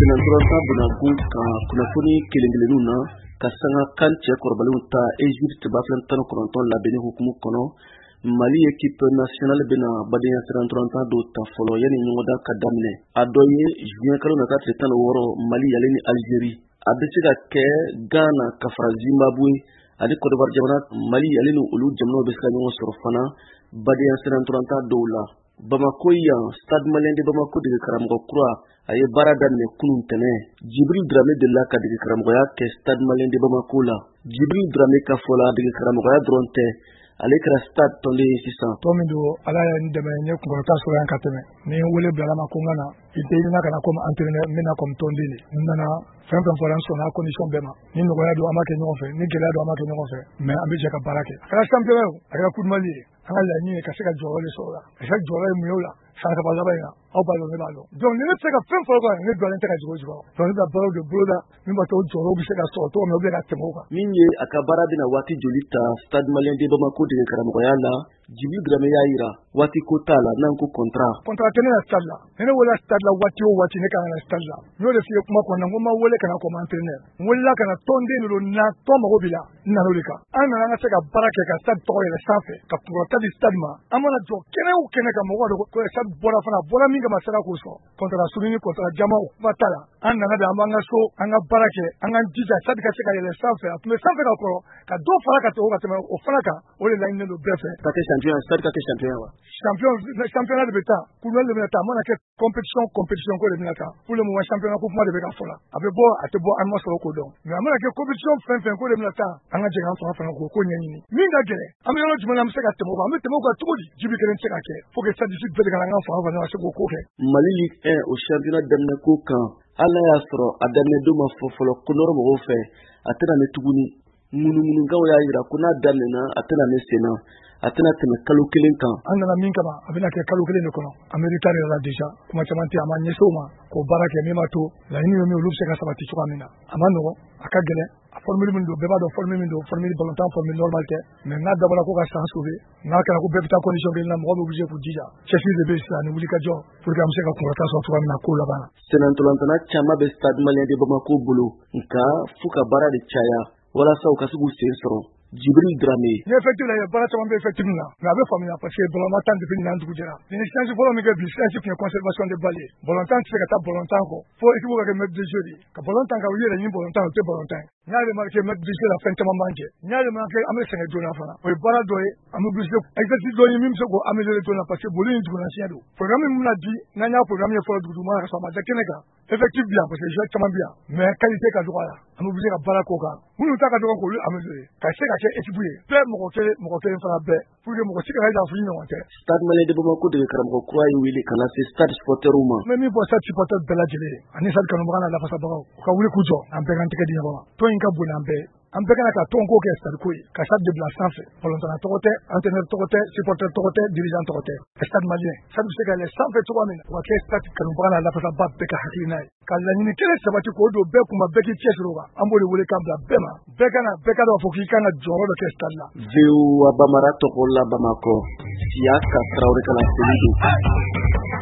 Senatɔrɔta bɛna kan kunnafoni kelen kelenninw na ka sanga kan cɛ kɔrɔbalenw ta Egypte 2019 labɛnni hukumu kɔnɔ. Mali équipe nationale bɛna badenya sirantɔrɔntan dɔw ta fɔlɔ yanni ɲɔgɔndan ka daminɛ. A dɔ ye juin kalo nata tile 16, Mali ale ni Algérie. A bɛ se ka kɛ Ghana ka fara Zimbabwe ani Côte d'Ivoire jamana. Mali ale ni olu jamanaw bɛ se ka ɲɔgɔn sɔrɔ fana badenya sirantɔrɔntan dɔw la. Bamako yan, Stade Malien de Bamako dege karamɔgɔ kura, a ye baara daminɛ kunun tɛnɛ. Jibril Drame delila ka dege karamɔgɔya kɛ Stade Malien de Bamako la. Jibril Drame ka fɔ la, dege karamɔgɔya dɔrɔn tɛ, ale kɛra stade tɔnden ye sisan. Tɔn min don, Ala ye n dɛmɛ, n ye kunkɔrɔta sɔrɔ yan ka tɛmɛ. Ni n wele bilala ma ko n ka na, i tɛ i ka na comme entraîneur, n bɛna comme tɔnden de. N nana, fɛn fɛn fɔra, n sɔnna a condition bɛɛ ma. Ni nɔgɔya don, an b'a kɛ ɲɔgɔn fɛ, ni gɛlɛya don, an b'a kɛ ɲɔgɔn fɛ, mais an bɛ jɛ ka baara kɛ. A kɛra championnat ye o, a kɛra Coupe du Mali ye, an ka laɲini ye ka se ka jɔyɔrɔ de sɔrɔ o la. Ka se ka jɔyɔrɔ ye mun ye o la san 3 laban in na, aw b'a dɔn, ne b'a dɔn. Donc ni ne tɛ se ka fɛn fɔ o kan, ne dɔnnen tɛ ka jigin o jukɔrɔ. Donc ne bɛna baaraw de boloda min b'a to o jɔyɔrɔw bɛ se ka sɔrɔ cogo min na, ou bien ka tɛmɛ o kan. Min ye a ka baara bɛna waati joli ta Stade Malien de Bamako dege karamɔgɔya la, Jibril Drame y'a yira waati ko t'a la, n'an ko contrat. Contrat tɛ ne na stade la. Ni ne welela stade la, waati o waati ne kan ka na stade la. N y'o de f'i ye kuma kɔnɔna, n ko n ma wele ka na comme entraîneur, n welela ka na tɔnden de don. Na tɔn mago b'i la, n nana o de kan. An nana an ka se ka baara kɛ ka stade tɔgɔ yɛlɛ sanfɛ, ka kunkɔrɔta di stade ma. An mana jɔ kɛnɛ o kɛnɛ kan, mɔgɔw b'a dɔn ko stade bɔra fana, a bɔra min kama, sera k'o sɔrɔ. Contrat surunni, contrat jama, o kuma t'a la. An nana de, an b'an ka so, an ka baara kɛ, an k'an jija stade ka se ka yɛlɛ sanfɛ. A tun bɛ sanfɛ ka kɔrɔ, ka dɔ fara ka tɛmɛ o ka tɛmɛ o fana kan. O de laɲininen don bɛɛ fɛ. Ka kɛ champion, stade ka kɛ champion wa? Champion, championnat de bɛ taa, coupe de bɛna taa. A mana kɛ compétition, compétition ko de bɛna taa. Pour le moment, championnat ko kuma de bɛ ka fɔ la. A bɛ bɔ, a tɛ bɔ, an ma sɔrɔ k'o dɔn, mais a mana kɛ compétition fɛn fɛn ko de bɛna taa, an ka jɛ k'an fanga fana k'o ko ɲɛɲini. Min ka gɛlɛn, an bɛ yɔrɔ jumɛn na, an bɛ se ka tɛmɛ o kan? An bɛ tɛmɛ o kan cogo di? Jibi kelen tɛ se ka kɛ, faut que stade bɛɛ de ka an ka fanga fana ka se k'o ko kɛ. Mali Ligue 1, o championnat daminɛ ko kan, hali n'a y'a sɔrɔ a daminɛ don ma fɔ fɔlɔ ko nɔrɔ mɔgɔw fɛ, a tɛna mɛn tuguni. Ŋunuŋunukanw y'a yira ko n'a daminɛna, a tɛna mɛn sen na, a tɛna tɛmɛ kalo kelen kan. An nana min kama, a bɛna kɛ kalo kelen de kɔnɔ. An bɛ retard yɛrɛ la déjà. Kuma caman tɛ, an b'an ɲɛsin o ma k'o baara kɛ min b'a to laɲini ye min, olu bɛ se ka sabati cogoya min na. A ma nɔgɔn, a ka gɛlɛn. A formule min don, bɛɛ b'a dɔn formule min don, formule ballontan, formule normal tɛ, mais n'a dabɔra ko ka san sauver, n'a kɛra ko bɛɛ bɛ taa condition kelen na, mɔgɔ bɛ obligé k'u jija. Cɛsiri de bɛ yen sisan ani wulikajɔ pour que an bɛ se ka kunkɔrɔta sɔrɔ cogoya min na ko laban na. Sennantolatan caman bɛ Stade Malien de Bamako bolo, nka f'u ka baara de caya walasa u ka se k'u sen sɔrɔ. Jibril Drame. Ni effectif la, baara caman bɛ effectif na, mais a bɛ faamuya parce que ballon ma tan depuis ɲinan dugu jɛra. Ni séance fɔlɔ min kɛ bi, séance tun ye conservation de balle ye. Ballon tan tɛ se ka taa ballon tan kɔ, fo équipe ka kɛ maître de jeu de ye. Ka ballon tan ka u yɛrɛ ɲini ballon tan, o tɛ ballon tan ye. N y'a remarqué, maître de jeu la, fɛn caman b'an jɛ. N y'a remarqué, an bɛ sɛgɛn joona fana. O ye baara dɔ ye, an bɛ obligé exercice dɔ ye min bɛ se k'o améliorer joona, parce que boli in duguna siɲɛ don. Programme min bɛna di, n'an y'a programme ye fɔlɔ duguma ka sɔrɔ a ma da kɛnɛ kan. Effectif bi yan parce que joueur caman bi yan, mais qualité ka dɔgɔ a la. An bɛ obligé ka baara k'o kan. Minnu ta ka dɔgɔ, k'olu améliorer ka se ka kɛ équipe ye bɛɛ, mɔgɔ kelen, mɔgɔ kelen fana bɛɛ, pour que mɔgɔ si kana jira f'i ɲɔgɔn tɛ. Stade Malien de Bamako dege karamɔgɔ kura ye wele ka na se stade supporterw ma. N bɛ min fɔ stade supporter bɛɛ lajɛlen ye ani stade kanubaga n'a lafasabagaw, u ka wuli k'u jɔ, an bɛɛ k'an tɛgɛ di ɲɔgɔn ma. Tɔn in ka bon n'an bɛɛ ye. An bɛɛ kana ka tɔn ko kɛ stade ko ye, ka stade de bila sanfɛ. Balontanna tɔgɔ tɛ, entraîneur tɔgɔ tɛ, supporter tɔgɔ tɛ, dirigeant tɔgɔ tɛ. Stade Malien, stade bɛ se ka yɛlɛ sanfɛ cogoya min na, o ka kɛ stade kanubaga n'a lafasaba bɛɛ ka hakilina ye. Ka laɲini kelen sabati k'o don bɛɛ kunba, bɛɛ k'i cɛsiri o kan. An b'o de wele k'an bila bɛɛ ma. Bɛɛ ka na, bɛɛ ka dɔn k'a fɔ k'i kan ka jɔyɔrɔ dɔ kɛ stade la. VOA Bambara tɔgɔ la Bamakɔ, Siyaka Tarawele ka laseli don.